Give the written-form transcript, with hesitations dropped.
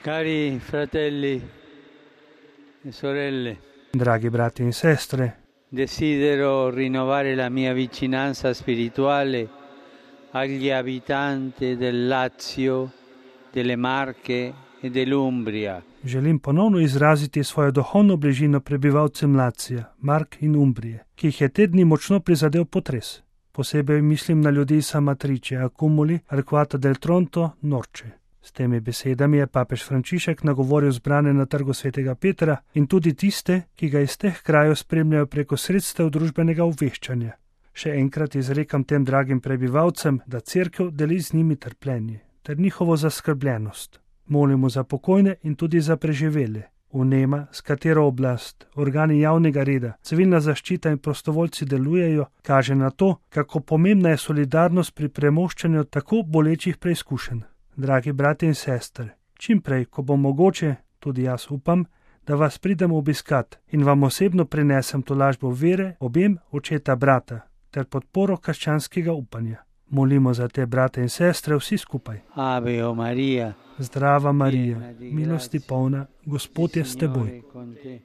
Cari fratelli e sorelle, Dragi brati in sestre, desidero rinnovare la mia vicinanza spirituale agli abitanti del Lazio, delle Marche e dell'Umbria. želim ponovno izraziti svojo duhovno bližino prebivalcem Lacija, Mark in Umbrije, ki jih je te dni močno prizadel potres. Posebej mislim na ljudi iz Amatrice, Accumuli, Arquata del Tronto, Norče. S temi besedami je papež Frančišek nagovoril zbrane na trgu svetega Petra in tudi tiste, ki ga iz teh krajev spremljajo preko sredstev družbenega obveščanja. Še enkrat izrekam tem dragim prebivalcem, da cerkev deli z njimi trpljenje ter njihovo zaskrbljenost. Molimo za pokojne in tudi za preživele. Vnema, s katero oblast, organi javnega reda, civilna zaščita in prostovoljci delujejo, kaže na to, kako pomembna je solidarnost pri premoščanju tako bolečih preizkušenj. Dragi brati in sestre, čim prej, ko bo mogoče, tudi jaz upam, da vas pridem obiskat in vam osebno prinesem tolažbo vere, objem očeta brata ter podporo krščanskega upanja. Molimo za te brate in sestre vsi skupaj. Ave o Maria, Zdrava Marija, milosti polna, Gospod je s teboj. con te.